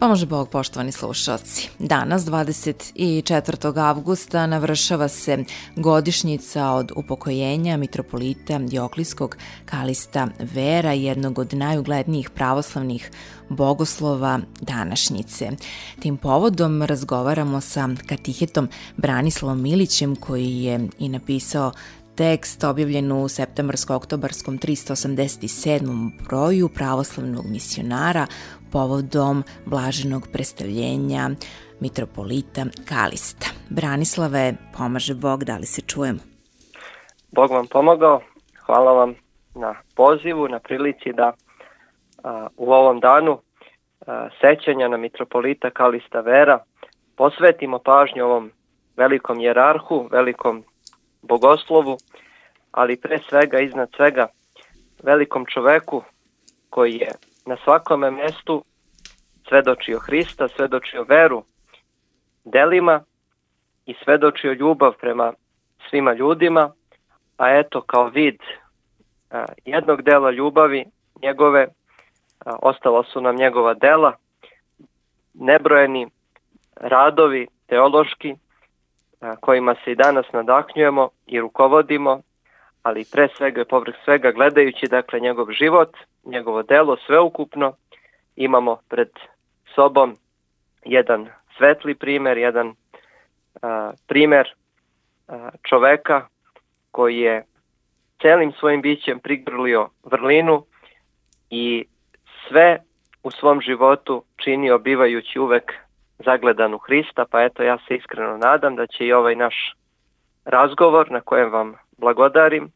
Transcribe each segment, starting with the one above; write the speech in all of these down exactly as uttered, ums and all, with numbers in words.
Pomože Bog, poštovani slušalci. Danas, dvadeset četvrtog avgusta, navršava se godišnjica od upokojenja mitropolita Dioklijskog Kalista Vera, jednog od najuglednijih pravoslavnih bogoslova današnjice. Tim povodom razgovaramo sa katehetom Branislavom Milićem, koji je i napisao tekst objavljen u septembarsko-oktobarskom tristo osamdeset sedmom broju pravoslavnog misionara povodom blaženog predstavljenja mitropolita Kalista. Branislave, pomaže Bog, da li se čujemo? Bog vam pomogao. Hvala vam na pozivu, na prilici da a, u ovom danu a, sećanja na mitropolita Kalista Vera posvetimo pažnju ovom velikom jerarhu, velikom bogoslovu, ali pre svega, iznad svega, velikom čoveku koji je na svakome mestu svedočio Hrista, svedočio veru delima i svedočio ljubav prema svima ljudima, a eto kao vid a, jednog dela ljubavi njegove a, ostala su nam njegova dela, nebrojeni radovi teološki a, kojima se i danas nadahnjujemo i rukovodimo, ali pre svega i povrh svega gledajući dakle njegov život, njegovo delo sveukupno, imamo pred sobom jedan svetli primer, jedan a, primer a, čoveka koji je celim svojim bićem prigrlio vrlinu i sve u svom životu činio bivajući uvek zagledan u Hrista, pa eto ja se iskreno nadam da će i ovaj naš razgovor na kojem vam blagodarim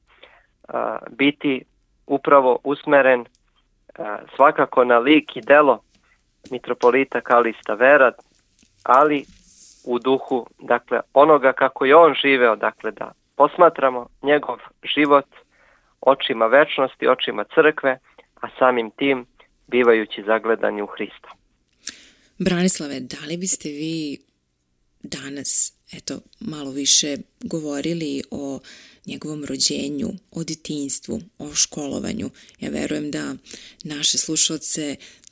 a, biti upravo usmeren a, svakako na lik i delo mitropolita Kalista Vera, ali u duhu dakle onoga kako je on živeo, dakle da posmatramo njegov život očima večnosti, očima crkve, a samim tim bivajući zagledani u Hrista. Branislave, da li biste vi danas eto malo više govorili o njegovom rođenju, o detinjstvu, o školovanju? Ja verujem da naše slušalce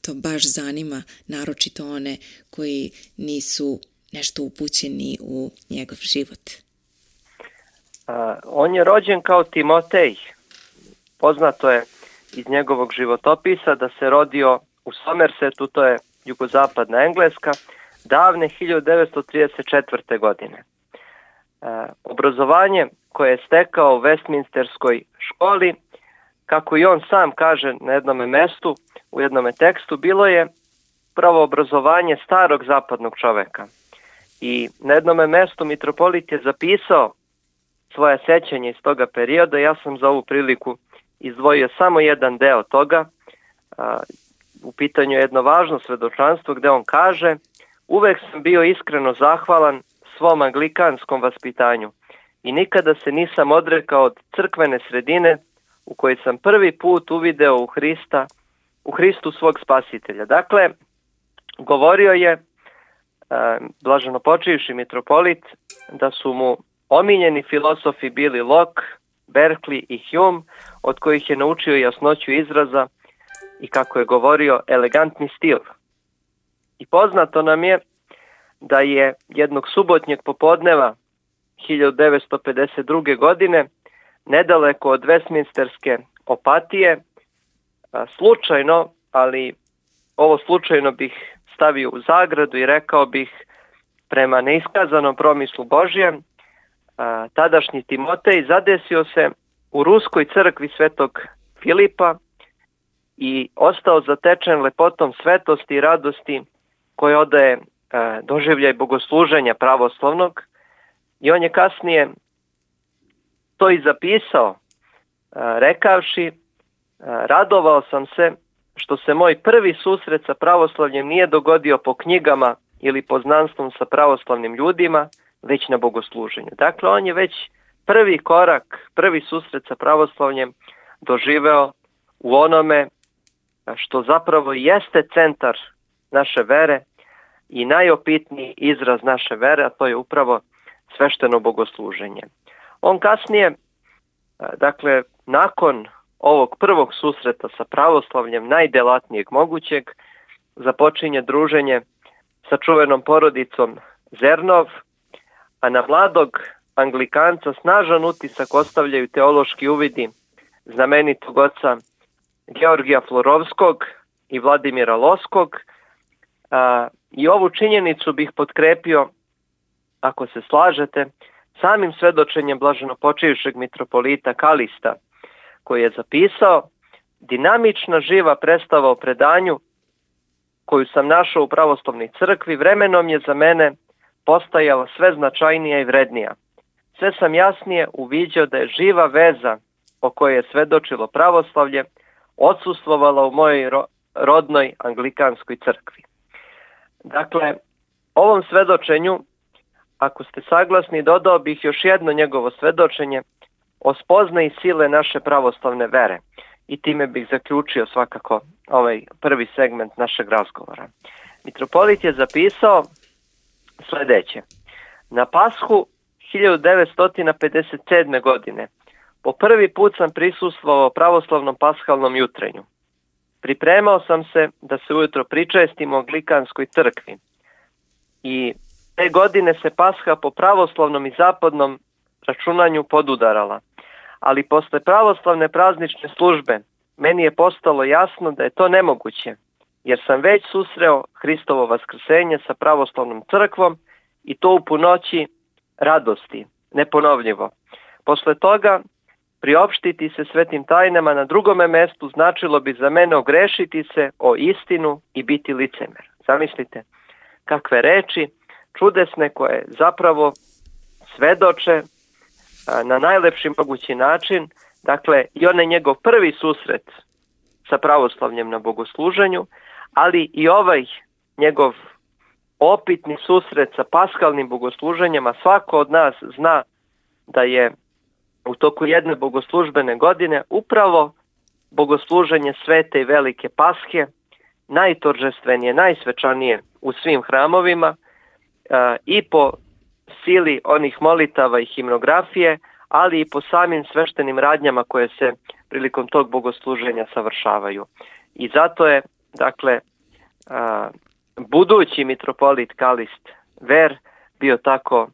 to baš zanima, naročito one koji nisu nešto upućeni u njegov život. A, on je rođen kao Timotej. Poznato je iz njegovog životopisa da se rodio u Somersetu, to je jugozapadna Engleska, davne hiljadu devetsto trideset četvrte. godine. E, obrazovanje koje je stekao u Westminsterskoj školi, kako i on sam kaže na jednom mestu, u jednom tekstu, bilo je pravo obrazovanje starog zapadnog čoveka. I na jednom mestu mitropolit je zapisao svoje sećanje iz toga perioda. Ja sam za ovu priliku izdvojio samo jedan deo toga. A, u pitanju je jedno važno svedočanstvo gde on kaže: uvek sam bio iskreno zahvalan svom anglikanskom vaspitanju i nikada se nisam odrekao od crkvene sredine u kojoj sam prvi put uvideo u Hrista, u Hristu svog spasitelja. Dakle, govorio je e, blaženopočivši mitropolit da su mu omiljeni filosofi bili Locke, Berkeley i Hume, od kojih je naučio jasnoću izraza i, kako je govorio, elegantni stil. I poznato nam je da je jednog subotnjeg popodneva hiljadu devetsto pedeset druge. godine nedaleko od Westminsterske opatije slučajno, ali ovo slučajno bih stavio u zagradu i rekao bih prema neiskazanom promislu Božjem, tadašnji Timotej zadesio se u ruskoj crkvi svetog Filipa i ostao zatečen lepotom svetosti i radosti koje odaje doživljaj bogosluženja pravoslavnog, i on je kasnije to i zapisao, rekavši: radovao sam se što se moj prvi susret sa pravoslavljem nije dogodio po knjigama ili poznanstvom sa pravoslavnim ljudima, već na bogosluženju. Dakle, on je već prvi korak, prvi susret sa pravoslavljem doživeo u onome što zapravo jeste centar naše vere i najopitniji izraz naše vere, a to je upravo svešteno bogosluženje. On kasnije, dakle, nakon ovog prvog susreta sa pravoslavljem najdelatnijeg mogućeg, započinje druženje sa čuvenom porodicom Zernov, a na mladog Anglikanca snažan utisak ostavljaju teološki uvidi znamenitog oca Georgija Florovskog i Vladimira Loskog. A, I ovu činjenicu bih potkrepio, ako se slažete, samim svedočenjem blaženopočivšeg mitropolita Kalista, koji je zapisao: dinamična živa predstava o predanju koju sam našao u pravoslavnoj crkvi vremenom je za mene postajala sve značajnija i vrednija. Sve sam jasnije uviđao da je živa veza o kojoj je svedočilo pravoslavlje odsustvovala u mojoj rodnoj anglikanskoj crkvi. Dakle, ovom svedočenju, ako ste saglasni, dodao bih još jedno njegovo svedočenje o spoznaji sile naše pravoslavne vere. I time bih zaključio svakako ovaj prvi segment našeg razgovora. Mitropolit je zapisao sljedeće: na Pashu hiljadu devetsto pedeset sedme. godine po prvi put sam prisustvovao pravoslavnom pashalnom jutrenju. Pripremao sam se da se ujutro pričestim u Anglikanskoj crkvi. I te godine se Pasha po pravoslavnom i zapadnom računanju podudarala. Ali posle pravoslavne praznične službe meni je postalo jasno da je to nemoguće, jer sam već susreo Hristovo vaskrsenje sa pravoslavnom crkvom i to u punoći radosti, neponovljivo. Posle toga priopštiti se svetim tajnama na drugome mestu značilo bi za mene ogrešiti se o istinu i biti licemer. Zamislite kakve reči čudesne koje zapravo svedoče na najlepši mogući način, dakle i onaj njegov prvi susret sa pravoslavljem na bogosluženju, ali i ovaj njegov opitni susret sa paskalnim bogosluženjem, a svako od nas zna da je u toku jedne bogoslužbene godine upravo bogosluženje svete i velike Pashe najtoržestvenije, najsvečanije u svim hramovima i po sili onih molitava i himnografije, ali i po samim sveštenim radnjama koje se prilikom tog bogosluženja savršavaju. I zato je, dakle, a, budući mitropolit Kalist Ver bio tako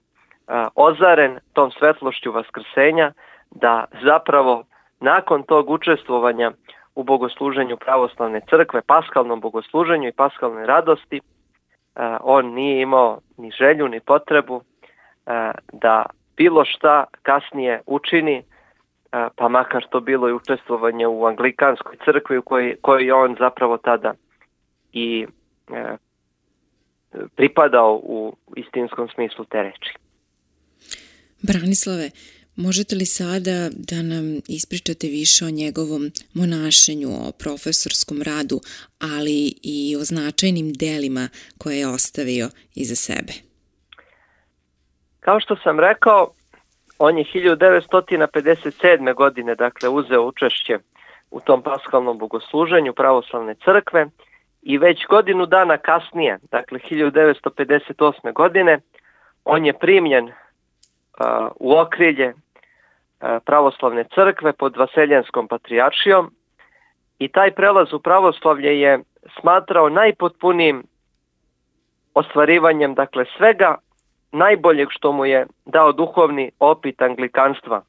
a, ozaren tom svetlošću vaskrsenja da zapravo nakon tog učestvovanja u bogosluženju pravoslavne crkve, paskalnom bogosluženju i paskalnoj radosti, a, on nije imao ni želju ni potrebu a, da bilo šta kasnije učini, pa makar to bilo i učestvovanje u Anglikanskoj crkvi u kojoj, kojoj on zapravo tada i e, pripadao u istinskom smislu te reči. Branislave, možete li sada da nam ispričate više o njegovom monašenju, o profesorskom radu, ali i o značajnim delima koje je ostavio iza sebe? Kao što sam rekao, on je hiljadu devetsto pedeset sedme. godine dakle uzeo učešće u tom paskalnom bogosluženju pravoslavne crkve i već godinu dana kasnije, dakle hiljadu devetsto pedeset osme. godine, on je primljen uh, u okrilje uh, pravoslavne crkve pod Vaseljenskom patrijaršijom i taj prelaz u pravoslavlje je smatrao najpotpunijim ostvarivanjem dakle svega najboljeg što mu je dao duhovni opit anglikanstva,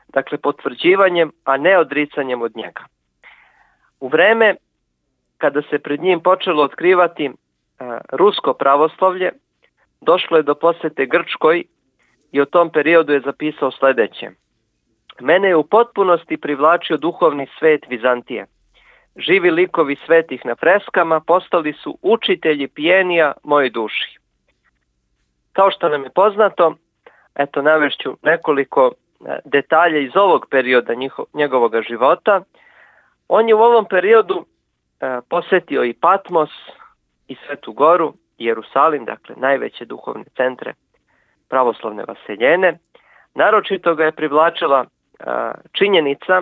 dakle potvrđivanjem, a ne odricanjem od njega. U vreme kada se pred njim počelo otkrivati a, rusko pravoslavlje, došlo je do posete Grčkoj i u tom periodu je zapisao sljedeće: mene je u potpunosti privlačio duhovni svet Vizantije. Živi likovi svetih na freskama postali su učitelji pijenija mojoj duši. Kao što nam je poznato, eto navešću nekoliko detalja iz ovog perioda njiho, njegovog života. On je u ovom periodu e, posjetio i Patmos i Svetu Goru, Jerusalim, dakle najveće duhovne centre pravoslavne vaseljene. Naročito ga je privlačila e, činjenica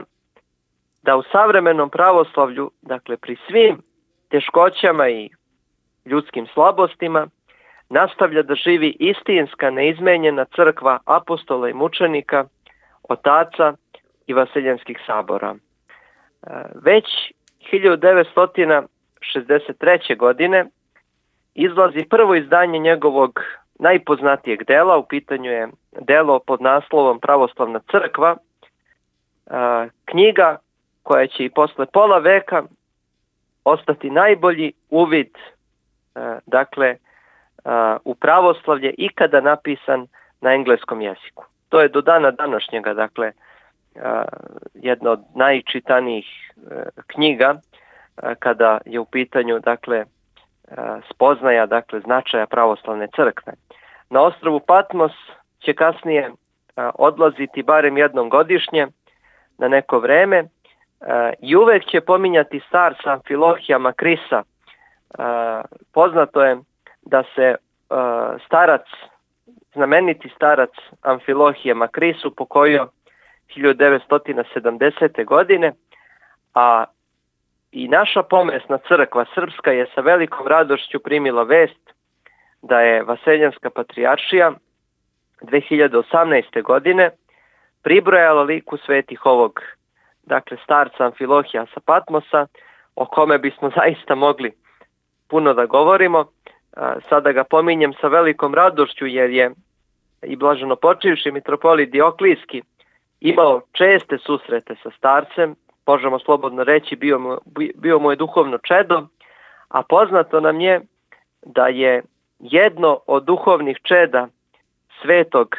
da u savremenom pravoslavlju, dakle pri svim teškoćama i ljudskim slabostima, nastavlja da živi istinska, neizmenjena crkva apostola i mučenika, otaca i vaseljenskih sabora. Već hiljadu devetsto šezdeset treće. godine izlazi prvo izdanje njegovog najpoznatijeg dela, u pitanju je delo pod naslovom Pravoslavna crkva, knjiga koja će i posle pola veka ostati najbolji uvid dakle u pravoslavlje ikada napisan na engleskom jeziku. To je do dana današnjega dakle jedna od najčitanijih knjiga kada je u pitanju dakle spoznaja dakle značaja pravoslavne crkve. Na ostrvu Patmos će kasnije odlaziti barem jednom godišnje na neko vreme i uvek će pominjati starca Amfilohija Makrisa. Poznato je da se starac, znameniti starac Amfilohije Makris upokojio hiljadu devetsto sedamdesete. godine, a i naša pomesna crkva srpska je sa velikom radošću primila vest da je Vaseljenska patrijaršija dve hiljade osamnaeste. godine pribrojala liku svetih ovog dakle starca Amfilohija sa Patmosa, o kome bismo zaista mogli puno da govorimo. Sada ga pominjem sa velikom radošću jer je i blaženopočivši mitropolit Dioklijski imao česte susrete sa starcem, možemo slobodno reći bio mu, bio mu je duhovno čedo, a poznato nam je da je jedno od duhovnih čeda svetog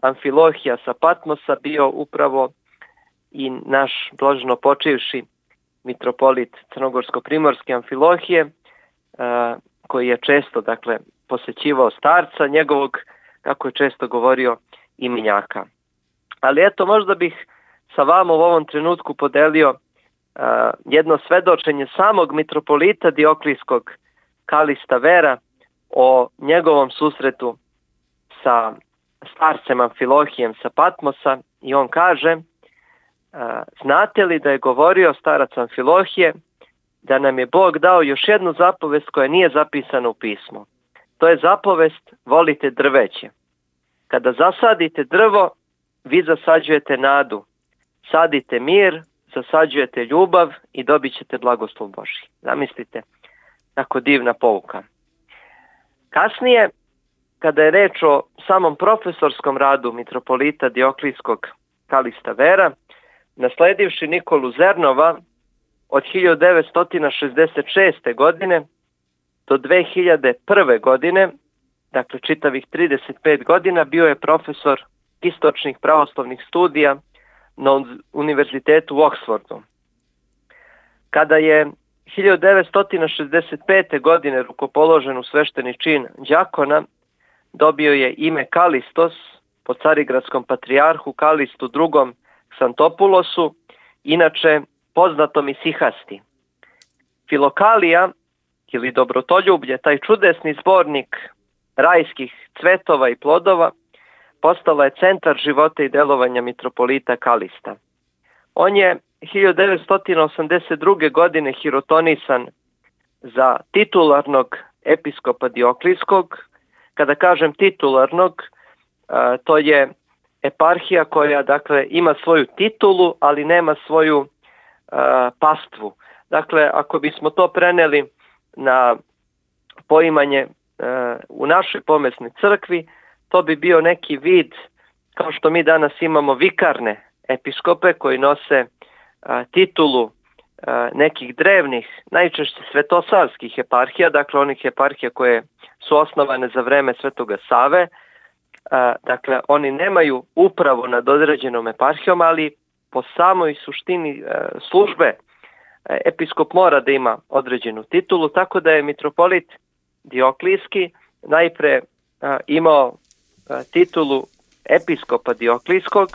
Amfilohija sa Patmosa bio upravo i naš blaženopočivši mitropolit Crnogorsko-primorski Amfilohije, koji je često dakle posećivao starca, njegovog, kako je često govorio, imenjaka. Ali eto, možda bih sa vama u ovom trenutku podelio uh, jedno svedočenje samog mitropolita Dioklijskog Kalista Vera o njegovom susretu sa starcem Amfilohijem sa Patmosa, i on kaže: uh, znate li da je govorio starac Amfilohije da nam je Bog dao još jednu zapovest koja nije zapisana u pismu. To je zapovest: volite drveće. Kada zasadite drvo, vi zasađujete nadu. Sadite mir, zasađujete ljubav i dobit ćete blagoslov Božji. Zamislite, tako divna pouka. Kasnije, kada je reč o samom profesorskom radu mitropolita Dioklijskog Kalista Vera, nasledivši Nikolu Zernova, od hiljadu devetsto šezdeset šeste. godine do dve hiljade prve. godine, dakle čitavih trideset pet godina, bio je profesor istočnih pravoslavnih studija na Univerzitetu u Oksfordu. Kada je hiljadu devetsto šezdeset pete. godine rukopoložen u svešteni čin đakona, dobio je ime Kalistos po carigradskom patrijarhu Kalistu drugom Ksantopulosu, inače poznatom i Sihasti. Filokalija ili dobrotoljublje, taj čudesni zbornik rajskih cvetova i plodova, postala je centar života i delovanja mitropolita Kalista. On je hiljadu devetsto osamdeset druge. godine hirotonisan za titularnog episkopa Dioklijskog. Kada kažem titularnog, to je eparhija koja dakle ima svoju titulu, ali nema svoju pastvu. Dakle, ako bismo to preneli na poimanje u našoj pomesnoj crkvi, to bi bio neki vid, kao što mi danas imamo vikarne episkope koji nose titulu nekih drevnih, najčešće svetosavskih eparhija, dakle onih eparhija koje su osnovane za vreme Svetoga Save. Dakle, oni nemaju upravu nad određenom eparhijom, ali po samoj suštini službe episkop mora da ima određenu titulu, tako da je mitropolit Dioklijski najpre imao titulu episkopa Dioklijskog.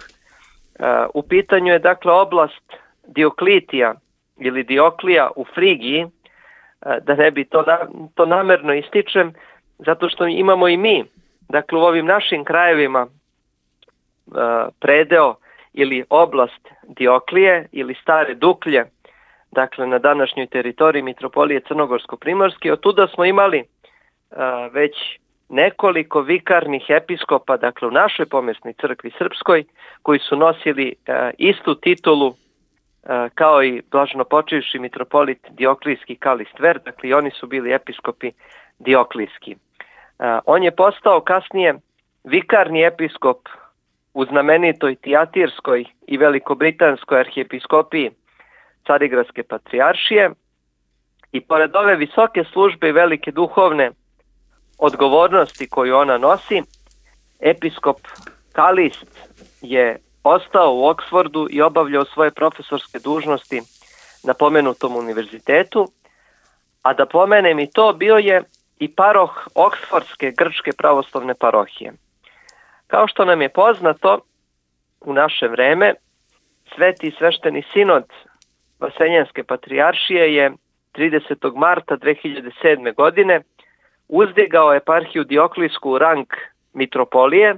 U pitanju je dakle oblast Dioklitija ili Dioklija u Frigiji, da ne bi to, to namerno ističem, zato što imamo i mi, dakle u ovim našim krajevima predeo ili oblast Dioklije ili Stare Duklje, dakle na današnjoj teritoriji mitropolije Crnogorsko-primorske. Od tuda smo imali već nekoliko vikarnih episkopa, dakle u našoj pomesnoj crkvi srpskoj, koji su nosili istu titulu kao i blaženopočivši mitropolit Dioklijski Kalist Ver, dakle oni su bili episkopi Dioklijski. On je postao kasnije vikarni episkop u znamenitoj Tijatirskoj i Velikobritanskoj arhijepiskopiji Carigradske patrijaršije i pored ove visoke službe i velike duhovne odgovornosti koju ona nosi, episkop Kalist je ostao u Oksfordu i obavljao svoje profesorske dužnosti na pomenutom univerzitetu, a da pomenem i to, bio je i paroh Oksfordske grčke pravoslavne parohije. Kao što nam je poznato, u naše vreme, Sveti svešteni sinod Vaseljenske patrijaršije je tridesetog marta dve hiljade sedme. godine uzdigao eparhiju Dioklijsku u rang mitropolije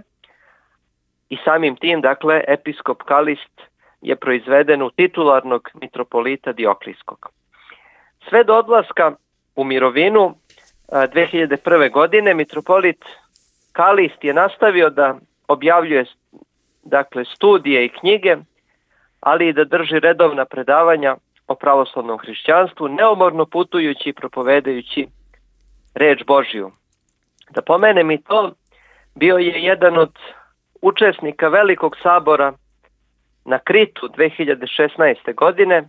i samim tim, dakle, episkop Kalist je proizveden u titularnog mitropolita Dioklijskog. Sve do odlaska u mirovinu dve hiljade prve. godine mitropolit Kalist je nastavio da objavljuje, dakle, studije i knjige, ali i da drži redovna predavanja o pravoslavnom hrišćanstvu, neumorno putujući i propovedajući reč Božju. Da pomenem i to, bio je jedan od učesnika Velikog sabora na Kritu dve hiljade šesnaeste. godine,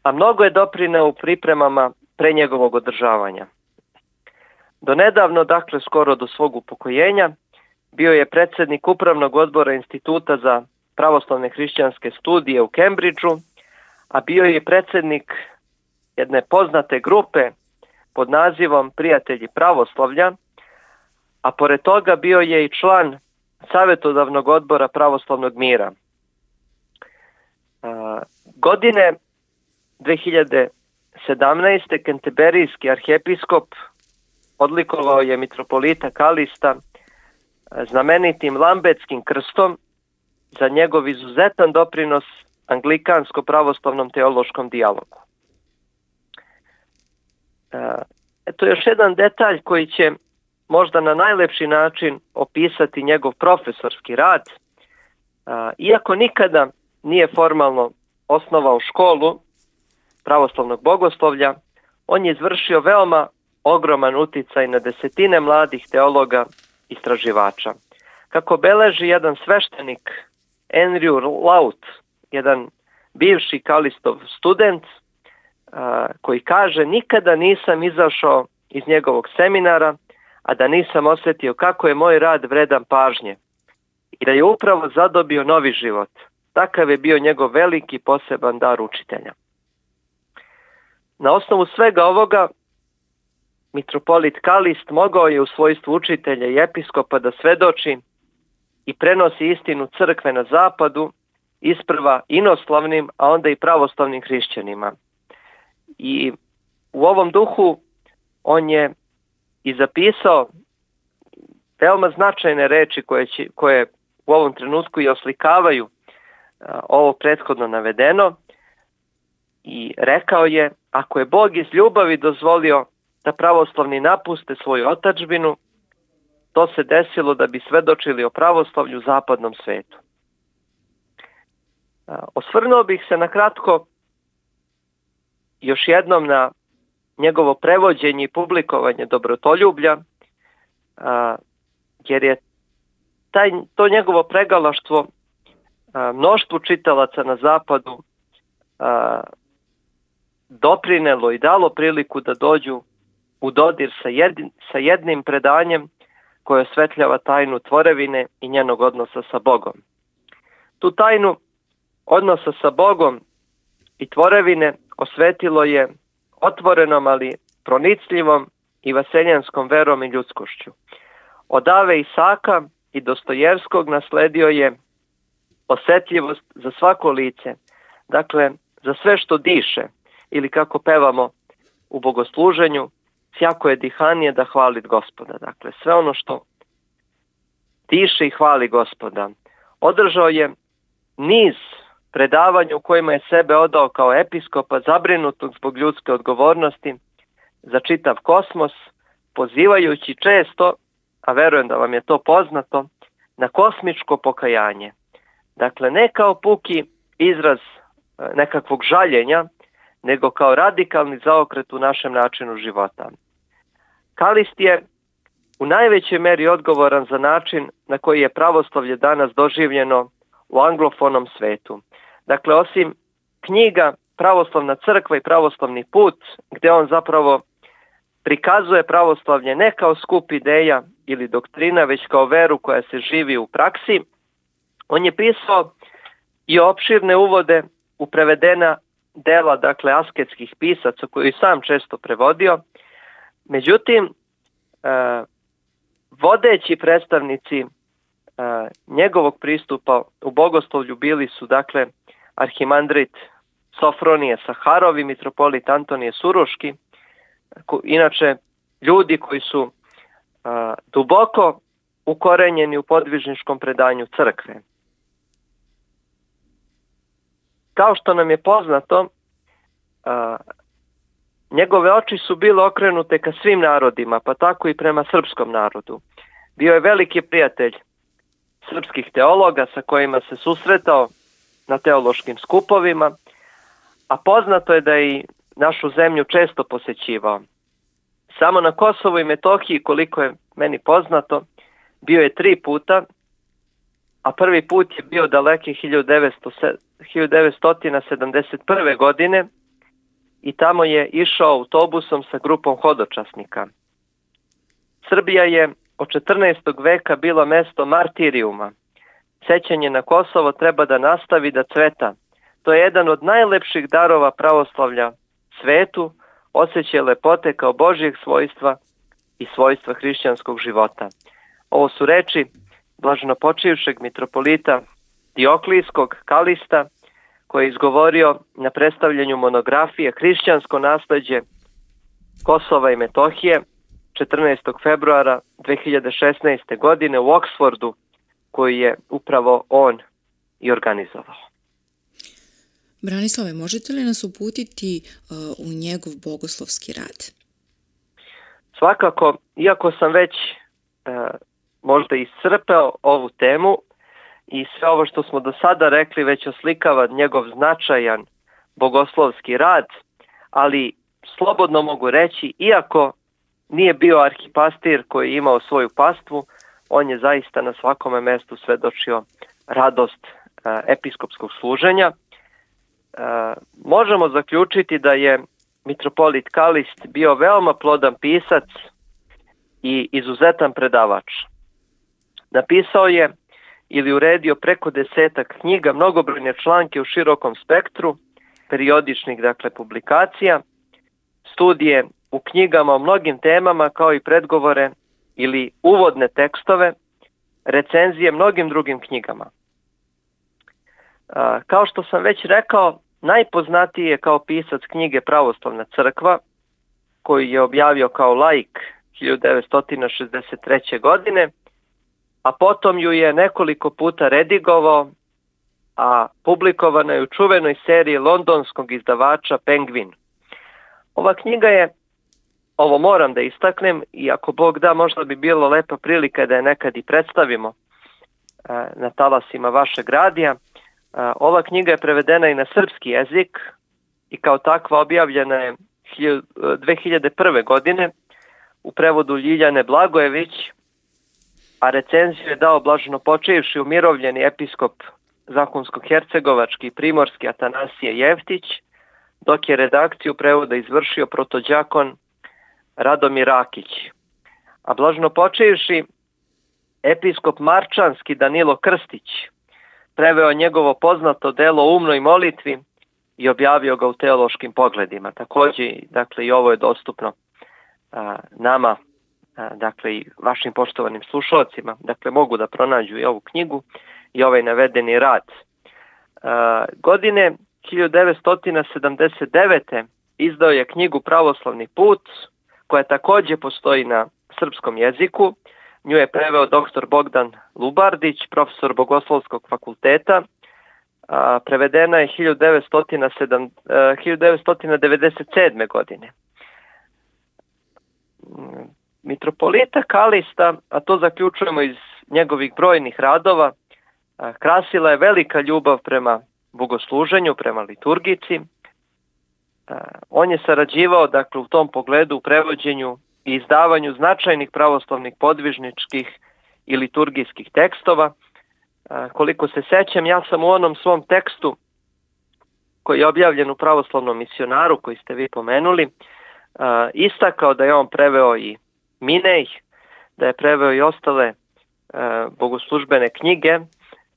a mnogo je doprineo u pripremama pre njegovog održavanja. Do nedavno, dakle skoro do svog upokojenja, bio je predsjednik upravnog odbora Instituta za pravoslavne hrišćanske studije u Cambridgeu, a bio je predsjednik jedne poznate grupe pod nazivom Prijatelji pravoslavlja, a pored toga bio je i član savjetodavnog odbora pravoslavnog mira. Godine dve hiljade sedamnaeste. Kenteberijski arhijepiskop odlikovao je mitropolita Kalista znamenitim Lambetskim krstom za njegov izuzetan doprinos anglikansko-pravoslavnom teološkom dijalogu. Eto još jedan detalj koji će možda na najlepši način opisati njegov profesorski rad. Iako nikada nije formalno osnovao školu pravoslavnog bogoslovlja, on je izvršio veoma ogroman uticaj na desetine mladih teologa i istraživača. Kako beleži jedan sveštenik Andrew Laut, jedan bivši Kalistov student, koji kaže: nikada nisam izašao iz njegovog seminara, a da nisam osjetio kako je moj rad vredan pažnje i da je upravo zadobio novi život. Takav je bio njegov veliki poseban dar učitelja. Na osnovu svega ovoga, mitropolit Kalist mogao je u svojstvu učitelja i episkopa da svedoči i prenosi istinu crkve na zapadu, isprva inoslavnim, a onda i pravoslavnim hrišćanima. I u ovom duhu on je i zapisao veoma značajne reči koje, će, koje u ovom trenutku i oslikavaju a, ovo prethodno navedeno, i rekao je: ako je Bog iz ljubavi dozvolio da pravoslavni napuste svoju otadžbinu, to se desilo da bi svedočili o pravoslavlju u zapadnom svetu. A, osvrnuo bih se na kratko još jednom na njegovo prevođenje i publikovanje Dobrotoljublja, a, jer je taj, to njegovo pregalaštvo a, mnoštvu čitalaca na zapadu a, doprinelo i dalo priliku da dođu u dodir sa, jedin, sa jednim predanjem koje osvetljava tajnu tvorevine i njenog odnosa sa Bogom. Tu tajnu odnosa sa Bogom i tvorevine osvetilo je otvorenom, ali pronicljivom i vaseljenskom verom i ljudskošću. Od Ave Isaka i Dostojevskog nasledio je osjetljivost za svako lice, dakle za sve što diše, ili kako pevamo u bogosluženju: sjako je dihanje da hvali Gospoda. Dakle, sve ono što diše i hvali Gospoda. Održao je niz predavanja u kojima je sebe odao kao episkopa, zabrinutog zbog ljudske odgovornosti za čitav kosmos, pozivajući često, a verujem da vam je to poznato, na kosmičko pokajanje. Dakle, ne kao puki izraz nekakvog žaljenja, nego kao radikalni zaokret u našem načinu života. Kalist je u najvećoj meri odgovoran za način na koji je pravoslavlje danas doživljeno u anglofonom svetu. Dakle, osim knjiga Pravoslavna crkva i Pravoslavni put, gdje on zapravo prikazuje pravoslavlje ne kao skup ideja ili doktrina, već kao veru koja se živi u praksi, on je pisao i opširne uvode u prevedena dela, dakle, asketskih pisaca koju je sam često prevodio. Međutim, e, vodeći predstavnici e, njegovog pristupa u bogoslovlju bili su, dakle, arhimandrit Sofronije Saharov i mitropolit Antonije Suruški, ko, inače ljudi koji su a, duboko ukorenjeni u podvižničkom predanju crkve. Kao što nam je poznato, a, njegove oči su bile okrenute ka svim narodima, pa tako i prema srpskom narodu. Bio je veliki prijatelj srpskih teologa sa kojima se susretao na teološkim skupovima, a poznato je da je i našu zemlju često posećivao. Samo na Kosovu i Metohiji, koliko je meni poznato, bio je tri puta, a prvi put je bio daleke hiljadu devetsto sedamdeset prve. godine i tamo je išao autobusom sa grupom hodočasnika. Srbija je od četrnaestog veka bila mesto martirijuma. Sećanje na Kosovo treba da nastavi da cveta. To je jedan od najlepših darova pravoslavlja svetu, osjećaj lepote kao Božjeg svojstva i svojstva hrišćanskog života. Ovo su reči blaženopočivšeg mitropolita Dioklijskog Kalista, koji je izgovorio na predstavljanju monografije Hrišćansko nasleđe Kosova i Metohije četrnaestog februara dve hiljade šesnaeste. godine u Oksfordu, koji je upravo on i organizovao. Branislave, možete li nas uputiti uh, u njegov bogoslovski rad? Svakako, iako sam već uh, možda iscrpeo ovu temu i sve ovo što smo do sada rekli već oslikava njegov značajan bogoslovski rad, ali slobodno mogu reći, iako nije bio arhipastir koji je imao svoju pastvu, on je zaista na svakome mestu svedočio radost uh, episkopskog služenja. Uh, možemo zaključiti da je mitropolit Kalist bio veoma plodan pisac i izuzetan predavač. Napisao je ili uredio preko desetak knjiga, mnogobrojne članke u širokom spektru, periodičnih, dakle, publikacija, studije u knjigama o mnogim temama, kao i predgovore ili uvodne tekstove, recenzije mnogim drugim knjigama. Uh, kao što sam već rekao, najpoznatiji je kao pisac knjige Pravoslavna crkva, koju je objavio kao laik hiljadu devetsto šezdeset treće. godine, a potom ju je nekoliko puta redigovao, a publikovana je u čuvenoj seriji londonskog izdavača Penguin. Ova knjiga je, ovo moram da istaknem, i ako Bog da, možda bi bilo lepa prilika da je nekad i predstavimo na talasima vašeg radija. Ova knjiga je prevedena i na srpski jezik i kao takva objavljena je dve hiljade prve. godine u prevodu Ljiljane Blagojević, a recenziju je dao blaženopočivši umirovljeni episkop Zahumsko-hercegovački i primorski Atanasije Jeftić, dok je redakciju prevoda izvršio protođakon Radomir Rakić. A blaženopočivši episkop Marčanski Danilo Krstić preveo njegovo poznato delo o umnoj molitvi i objavio ga u teološkim pogledima. Također, dakle, i ovo je dostupno a, nama, a, dakle, i vašim poštovanim slušalcima. Dakle, mogu da pronađu i ovu knjigu i ovaj navedeni rad. A, godine hiljadu devetsto sedamdeset devete. izdao je knjigu Pravoslavni put, koja također postoji na srpskom jeziku. Nju je preveo doktor Bogdan Lubardić, profesor Bogoslovskog fakulteta. A, prevedena je hiljadu devetsto devedeset sedme. godine. Mitropolita Kalista, a to zaključujemo iz njegovih brojnih radova, a, krasila je velika ljubav prema bogosluženju, prema liturgici. On je sarađivao, dakle, u tom pogledu u prevođenju i izdavanju značajnih pravoslavnih podvižničkih i liturgijskih tekstova. Koliko se sećam, ja sam u onom svom tekstu koji je objavljen u Pravoslavnom misionaru, koji ste vi pomenuli, istakao da je on preveo i Minej, da je preveo i ostale bogoslužbene knjige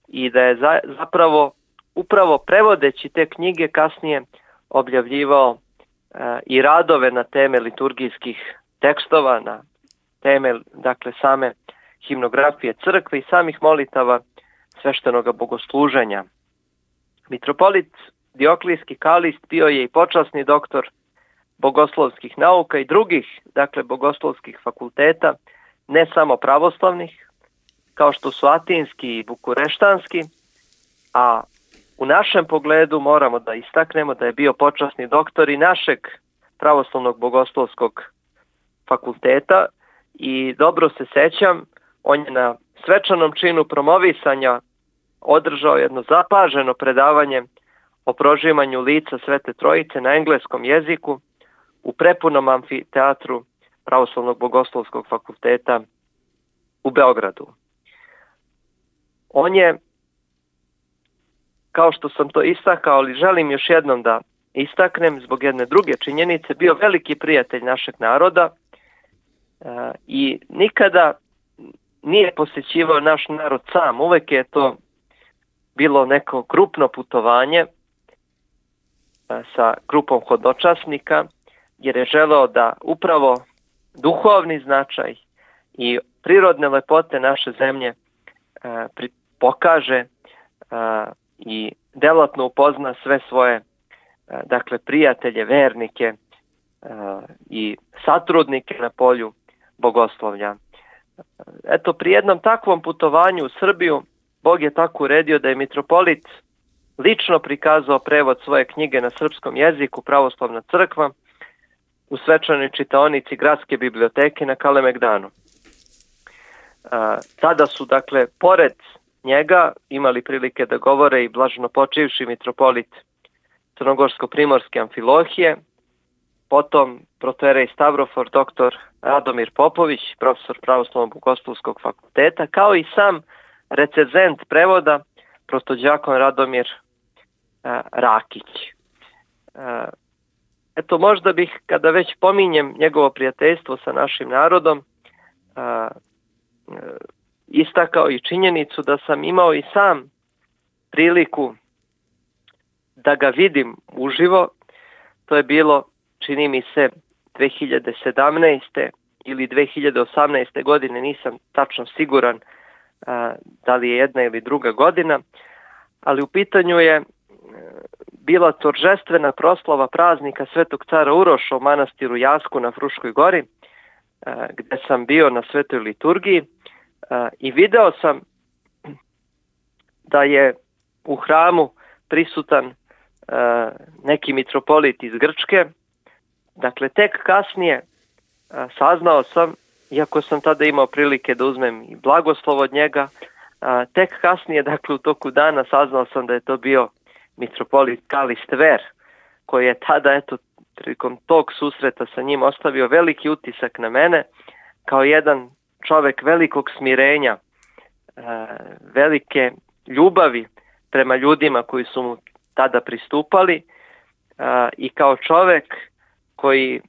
i da je zapravo upravo prevodeći te knjige kasnije objavljivao i radove na teme liturgijskih tekstova, na teme, dakle, same himnografije crkve i samih molitava sveštenoga bogosluženja. Mitropolit Dioklijski Kalist bio je i počasni doktor bogoslovskih nauka i drugih, dakle, bogoslovskih fakulteta, ne samo pravoslavnih, kao što su atinski i bukureštanski, a u našem pogledu moramo da istaknemo da je bio počasni doktor i našeg pravoslavnog bogoslovskog fakulteta i dobro se sećam, on je na svečanom činu promovisanja održao jedno zapaženo predavanje o prožimanju lica Svete Trojice na engleskom jeziku u prepunom amfiteatru Pravoslavnog bogoslovskog fakulteta u Beogradu. On je, kao što sam to istakao, ali želim još jednom da istaknem zbog jedne druge činjenice, bio veliki prijatelj našeg naroda i nikada nije posjećivao naš narod sam. Uvek je to bilo neko grupno putovanje sa grupom hodočasnika, jer je želeo da upravo duhovni značaj i prirodne lepote naše zemlje pokaže i delatno upozna sve svoje, dakle, prijatelje, vernike i satrudnike na polju bogoslovlja. Eto, pri jednom takvom putovanju u Srbiju, Bog je tako uredio da je mitropolit lično prikazao prevod svoje knjige na srpskom jeziku, Pravoslavna crkva, u svečanoj čitaonici Gradske biblioteke na Kalemegdanu. Tada su, dakle, pored njega imali prilike da govore i blaženopočivši mitropolit Crnogorsko-primorske Amfilohije, potom protojerej Stavrofor, doktor Radomir Popović, profesor Pravoslavnog bogoslovskog fakulteta, kao i sam recenzent prevoda, protođakon Radomir a, Rakić. A, eto, možda bih, kada već pominjem njegovo prijateljstvo sa našim narodom, a, a, istakao i činjenicu da sam imao i sam priliku da ga vidim uživo. To je bilo, čini mi se, dve hiljade sedamnaeste ili dve hiljade osamnaeste godine, nisam tačno siguran a, da li je jedna ili druga godina, ali u pitanju je bila toržestvena proslava praznika Svetog cara Uroša u manastiru Jasku na Fruškoj gori, a, gde sam bio na svetoj liturgiji a, i video sam da je u hramu prisutan a, neki mitropolit iz Grčke. Dakle, tek kasnije a, saznao sam, iako sam tada imao prilike da uzmem i blagoslov od njega, a, tek kasnije, dakle, u toku dana saznao sam da je to bio mitropolit Kalist Ver, koji je tada, eto, prilikom tog susreta sa njim ostavio veliki utisak na mene, kao jedan čovek velikog smirenja, a, velike ljubavi prema ljudima koji su mu tada pristupali, a, i kao čovek koji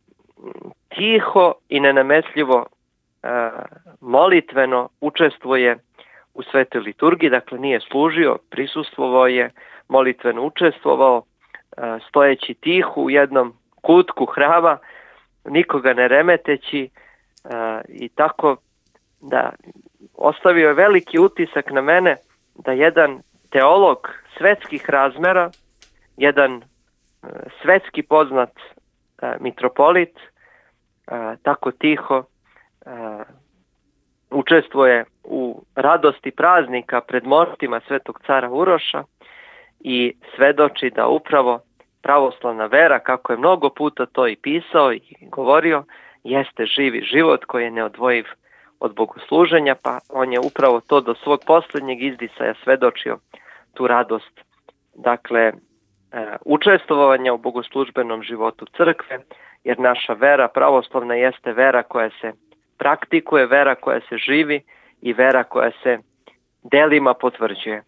tiho i nenametljivo a, molitveno učestvuje u svetoj liturgiji, dakle nije služio, prisustvovao je, molitveno učestvovao, a, stojeći tiho u jednom kutku hrama, nikoga ne remeteći, a, i tako da ostavio je veliki utisak na mene da jedan teolog svetskih razmera, jedan a, svetski poznat a, mitropolit, a, tako tiho a, učestvuje u radosti praznika pred mostima Svetog cara Uroša i svedoči da upravo pravoslavna vera, kako je mnogo puta to i pisao i govorio, jeste živi život koji je neodvojiv od bogosluženja, pa on je upravo to do svog posljednjeg izdisaja svedočio tu radost dakle, učestvovanja u bogoslužbenom životu crkve, jer naša vera pravoslavna jeste vera koja se praktikuje, vera koja se živi i vera koja se delima potvrđuje.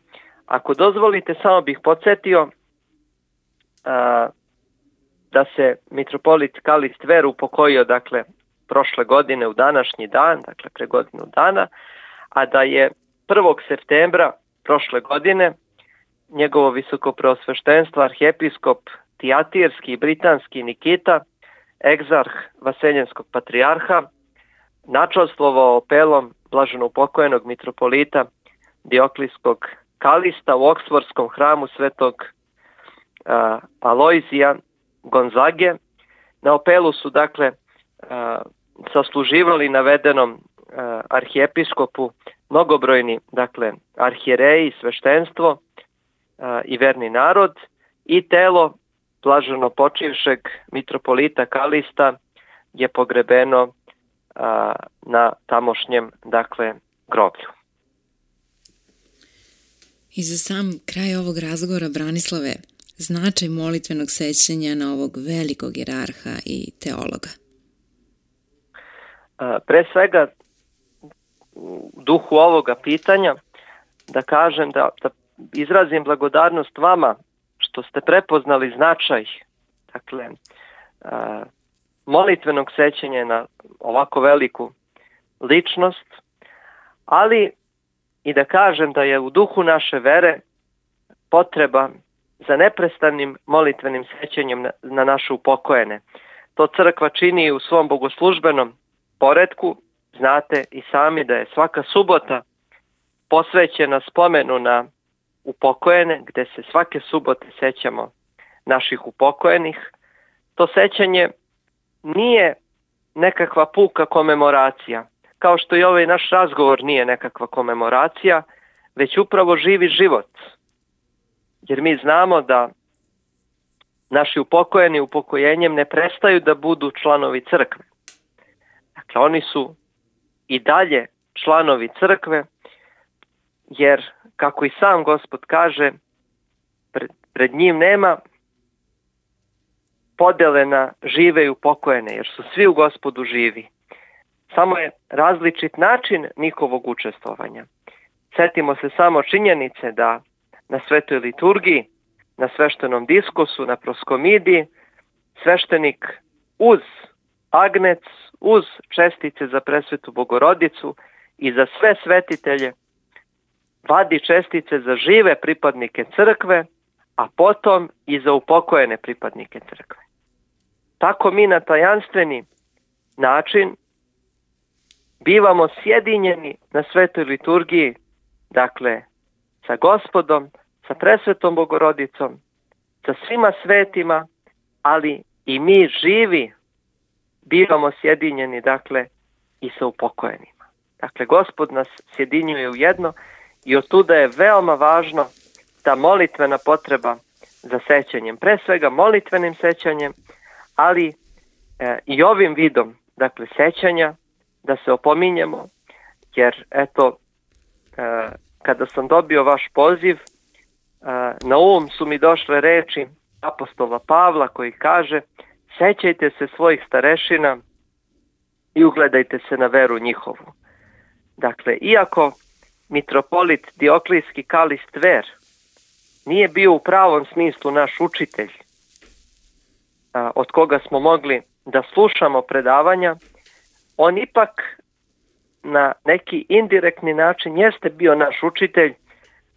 Ako dozvolite, samo bih podsjetio a, da se mitropolit Kalist Ver upokojio, dakle, prošle godine u današnji dan, dakle pre godinu dana, a da je prvog septembra prošle godine njegovo visokopreosveštenstvo arhijepiskop Tijatirski i Britanski Nikita, egzarh Vaseljenskog patrijarha, načastvovao opelom blaženo upokojenog mitropolita Dioklijskog Kalista u Oksfordskom hramu svetog uh, Alojzija Gonzage. Na opelu su, dakle, uh, sasluživali navedenom uh, arhijepiskopu mnogobrojni, dakle, arhijereji, sveštenstvo uh, i verni narod, i telo blaženo počivšeg mitropolita Kalista je pogrebeno uh, na tamošnjem, dakle, groblju. I za sam kraj ovog razgovora, Branislave, značaj molitvenog sećanja na ovog velikog jerarha i teologa. Pre svega, u duhu ovoga pitanja, da kažem da, da izrazim blagodarnost vama što ste prepoznali značaj, dakle, molitvenog sećanja na ovako veliku ličnost, ali i da kažem da je u duhu naše vere potreba za neprestanim molitvenim sećanjem na, na naše upokojene. To crkva čini u svom bogoslužbenom poretku. Znate i sami da je svaka subota posvećena spomenu na upokojene, gde se svake subote sećamo naših upokojenih. To sećanje nije nekakva puka komemoracija, kao što i ovaj naš razgovor nije nekakva komemoracija, već upravo živi život. Jer mi znamo da naši upokojeni upokojenjem ne prestaju da budu članovi crkve. Dakle, oni su i dalje članovi crkve, jer, kako i sam Gospod kaže, pred, pred njim nema podele na žive i upokojene, jer su svi u Gospodu živi. Samo je različit način njihovog učestvovanja. Sjetimo se samo činjenice da na svetoj liturgiji, na sveštenom diskusu, na proskomidiji, sveštenik uz agnec, uz čestice za presvetu Bogorodicu i za sve svetitelje vadi čestice za žive pripadnike crkve, a potom i za upokojene pripadnike crkve. Tako mi na tajanstveni način bivamo sjedinjeni na svetoj liturgiji, dakle, sa Gospodom, sa presvetom Bogorodicom, sa svima svetima, ali i mi živi bivamo sjedinjeni, dakle, i sa upokojenima. Dakle, Gospod nas sjedinjuje u jedno i otuda je veoma važno ta molitvena potreba za sećanjem. Pre svega molitvenim sećanjem, ali e, i ovim vidom, dakle, sećanja, da se opominjemo, jer eto, e, kada sam dobio vaš poziv, e, na um su mi došle reči apostola Pavla koji kaže: sećajte se svojih starešina i ugledajte se na veru njihovu. Dakle, iako mitropolit Dioklijski Kalist Ver nije bio u pravom smislu naš učitelj, a, od koga smo mogli da slušamo predavanja, on ipak na neki indirektni način jeste bio naš učitelj,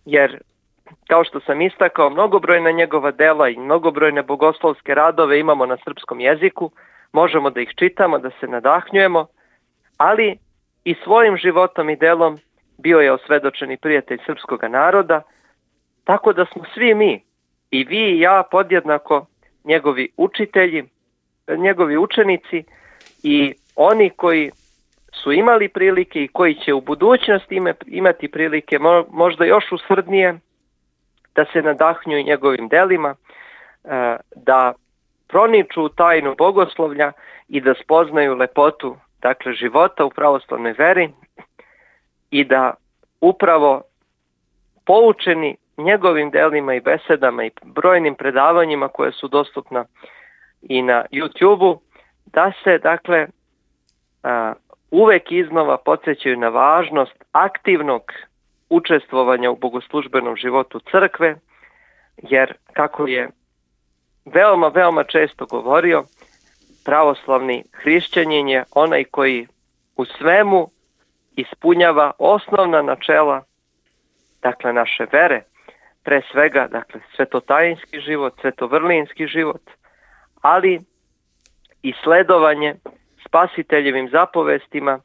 jer, kao što sam istakao, mnogobrojna njegova dela i mnogobrojne bogoslovske radove imamo na srpskom jeziku, možemo da ih čitamo, da se nadahnjujemo, ali i svojim životom i delom bio je osvedočeni prijatelj srpskog naroda, tako da smo svi mi, i vi i ja, podjednako njegovi učitelji, njegovi učenici i oni koji su imali prilike i koji će u budućnosti imati prilike možda još usrdnije da se nadahnjuju njegovim delima, da proniču u tajnu bogoslovlja i da spoznaju lepotu, dakle, života u pravoslavnoj veri i da upravo poučeni njegovim delima i besedama i brojnim predavanjima koje su dostupna i na YouTube-u, da se dakle a, uvek iznova podsjećaju na važnost aktivnog učestvovanja u bogoslužbenom životu crkve, jer kako je veoma, veoma često govorio, pravoslavni hrišćanin je onaj koji u svemu ispunjava osnovna načela, dakle naše vere, pre svega dakle svetotajinski život, svetovrlinski život, ali i sledovanje spasiteljevim zapovestima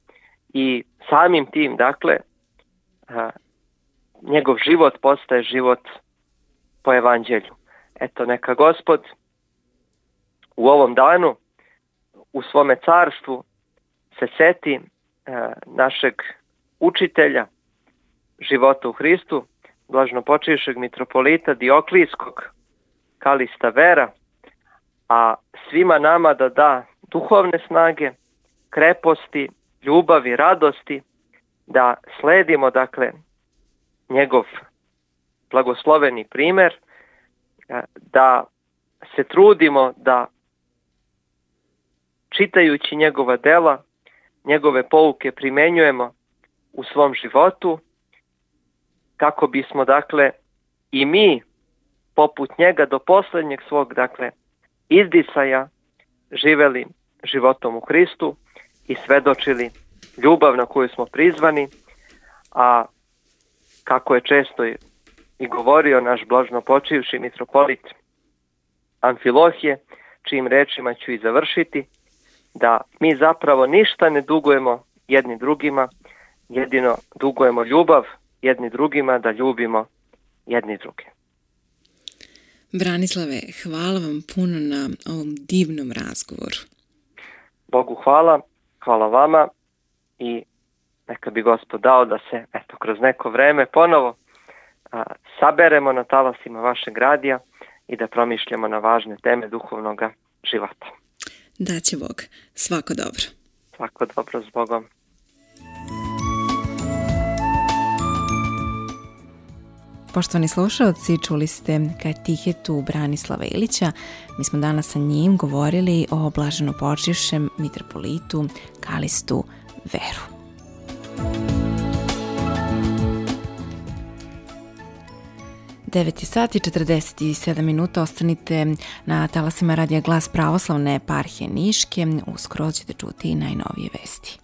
i samim tim dakle a, njegov život postaje život po evanđelju. Eto, neka Gospod u ovom danu u svome carstvu se seti a, našeg učitelja života u Hristu, blaženopočivšeg mitropolita Dioklijskog Kalista Vera, a svima nama da da duhovne snage, kreposti, ljubavi, radosti, da sledimo dakle njegov blagosloveni primer, da se trudimo da čitajući njegova dela, njegove pouke primenjujemo u svom životu, kako bismo dakle i mi poput njega do posljednjeg svog dakle izdisaja živeli životom u Hristu i svedočili ljubav na koju smo prizvani, a kako je često i govorio naš blaženopočivši mitropolit Amfilohije, čijim rečima ću i završiti, da mi zapravo ništa ne dugujemo jedni drugima, jedino dugujemo ljubav jedni drugima, da ljubimo jedni druge. Branislave, hvala vam puno na ovom divnom razgovoru. Bogu hvala, hvala vama i neka bi Gospod dao da se eto, kroz neko vreme ponovo a, saberemo na talasima vašeg radija i da promišljamo na važne teme duhovnog života. Da će Bog. Svako dobro. Svako dobro, s Bogom. Poštovani slušalci, čuli ste katehetu Branislava Ilića. Mi smo danas sa njim govorili o blaženopočivšem mitropolitu Kalistu Veru. devet sati i četrdeset sedam minuta, ostanite na talasima radija Glas pravoslavne eparhije Niške. Uskoro ćete čuti najnovije vesti.